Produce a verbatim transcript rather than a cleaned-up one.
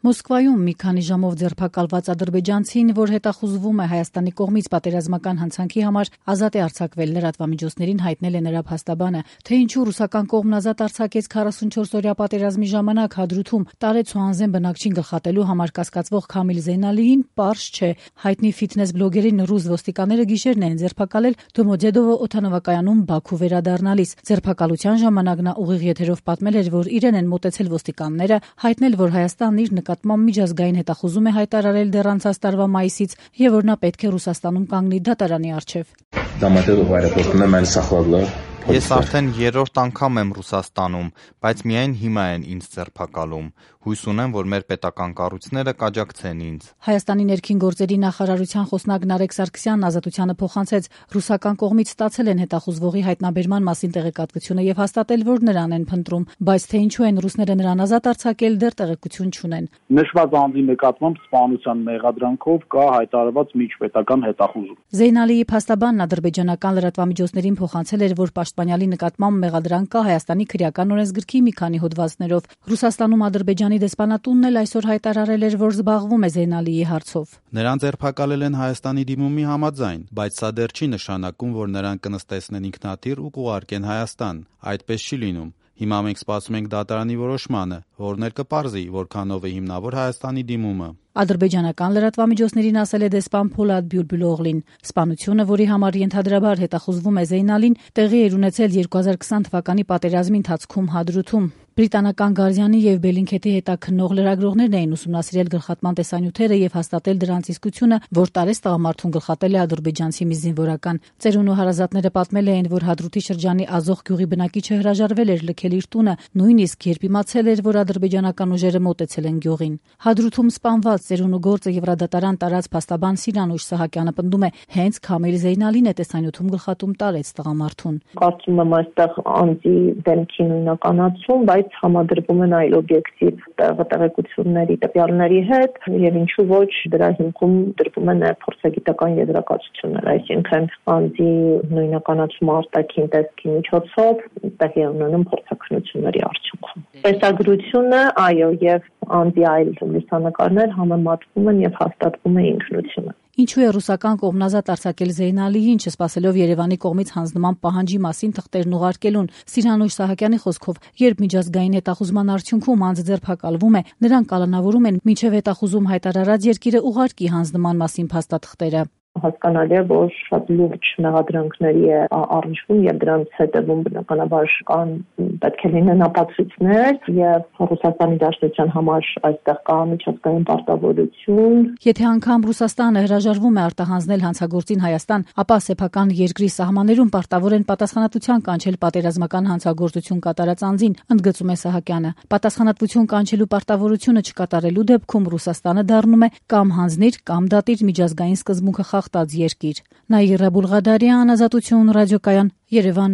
Մոսկվայում մի քանի ժամով ձերբակալված ադրբեջանցին, որ հետախուզվում է Հայաստանի կողմից պատերազմական հանցանքի համար, ազատ է արձակվել, լրատվամիջոցներին հայտնել է նրա փաստաբանը։ Թե ինչու ռուսական կողմն ազատ արձակեց քառասունչորս-օրյա պատերազմի ժամանակ Հադրութում տարեց ու անզեն բնակչին գլխատելու համար կասկածվող Քամիլ Զեյնալիին, պարզ չէ։ Հայտնի ֆիթնես բլոգերին ռուս ոստիկանները գիշերն են ձերբակալել Դոմոդեդովո օդանավակայանում Բաքու վերադառնալիս։ Ձերբակալության ժամանակ նա ուղիղ եթերով պատմել էր, որ իրեն են մոտեցել ոստիկանները, հայտնել, որ Հայաստանն իր նկատմամբ միջազգային հետախուզում է հայտարարել դեռ անցած տարվա մայիսից եւ որ նա պետք է Ռուսաստանում կանգնի դատարանի առջեւ։ Ես արդեն երրորդ անգամ եմ Ռուսաստանում, բայց միայն հիմա են ինձ ձերբակալում։ Հույս ունեմ, որ մեր պետական կառույցները կաջակցեն ինձ։ Հայաստանի ներքին գործերի նախարարության խոսնակ Նարեկ Սարգսյանն Ազատությանը փոխանցեց, ռուսական կողմից ստացել են հետախուզվողի հայտնաբերման մասին տեղեկատվությունը եւ հաստատել, որ նրան են փնտրում, բայց թե ինչու են ռուսները նրան ազատ արձակել, դեռ տեղեկություն չունեն։ Նշված անձի նկատմամբ սպանության մեղադրանքով կա հայտարարված միջպետական հետախուզում։ Զեյնալիի փաստաբանն ադրբեջանական լրատվամիջոցներին փոխանցել էր, որ պաշտպանյալի նկատմամբ մեղադրանք կա Հայաստանի քրեական օրենսգրքի մի քանի հոդվածներով։ Ռուսաստանում Ադրբեջանի դեսպանատունն էլ այսօր հայտարարել էր, որ զբաղվում է Զեյնալիի հարցով։ Նրան ձերբակալել են Հայաստանի դիմումի համաձայն, բայց սա դեռ չի նշանակում, որ նրան կնստեցնեն ինքնաթիռ ու կուղարկեն Հայաստան։ Այդպես չի լինում։ Հիմա մենք սպասում ենք դատարանի որոշմանը, որն էլ կպարզի, որքանով է հիմնավոր Հայաստանի դիմումը։ Ադրբեջանական լրատվամիջոցներին ասել է դեսպան Փոլադ Բյուլբուլօղլին։ Սպանությունը, որի համար ենթադրաբար հետախուզվում է Զեյնալին, տեղի էր ունեցել երկու հազար կիսին թվականի պատերազմի ընթացքում Հադրութում։ Բրիտանական Գարդիանի եւ Բելինքեթի հետաքննող լրագրողներն էին ուսումնասիրել գլխատման տեսանյութերը եւ հաստատել դրանց իսկությունը, որ տարեց տղամարդուն գլխատել է ադրբեջանցի մի զինվորական։ Ծերուն ու հարազատները պատմել էին, որ Հադրութի շրջանի Ազոխ գյուղի բնակիչը հրաժարվել էր լքել իր տունը, նույնիսկ երբ իմացել էր, որ ադրբեջանական ուժերը մոտեցել են գյուղին։ Հադրութում սպանված ծերուն ու գործը Եվրադատարան տարած փաստաբան Սիրանուշ Սահակյանը պնդում է, հենց Քամիլ Զեյնալին է տեսանյութում գլխատում տարեց տղամարդուն։ Կարծում եմ այստեղ անձի դեմքի նույնականացում, բայց համադրվում են այլ օբյեկտիվ տեղեկությունների տվյալների հետ եւ ինչու ոչ դրա հիմքում դրվում են փորձագիտական եզրակացություններ, այսինքն անձի նույնականացումը արտաքին տեսքի միջոցով տեղի ունենում փորձակնությունների արդյունքում։ Տեսագրությունը, այո, եւ անձի այլ լուսանկարներ համեմատվում են եւ հաստատվում է ինքնությունը։ Ինչու է ռուսական կողմն ազատ արձակել Զեյնալիին, չսպասելով Երևանի կողմից հանձնման պահանջի մասին թղթերն ուղարկելուն։ Սիրանուշ Սահակյանի խոսքով, երբ միջազգային հետախուզման արդյունքում անձը ձերբակալվում է, նրան կալանավորում են մինչև հետախուզում հայտարարած երկիրը ուղարկի հանձնման մասին փաստաթղթերը։ Հասկանալի է, որ շատ լուրջ մեղադրանքների է առնչվում եւ դրանց հետևում բնականաբար կան պետք է լինեն ապացույցներ եւ Ռուսաստանի Դաշնության համար այստեղ կա միջազգային պարտավորություն։ Եթե անգամ Ռուսաստանը հրաժարվում է արտահանձնել հանցագործին Հայաստան, ապա սեփական երկրի սահմաններում պարտավոր են պատասխանատվության կանչել պատերազմական հանցագործություն կատարած անձին, ընդգծում է Սահակյանը։ Պատասխանատվություն կանչելու պարտավորությունը չկատարելու դեպքում Ռուսաստանը դառնում է կամ հանձնիր կամ դատիր միջազգային սկզբունքը խախտած երկիր։ Նաիրա Բուլղադարյան, Ազատություն ռադիոկայան, Երևան։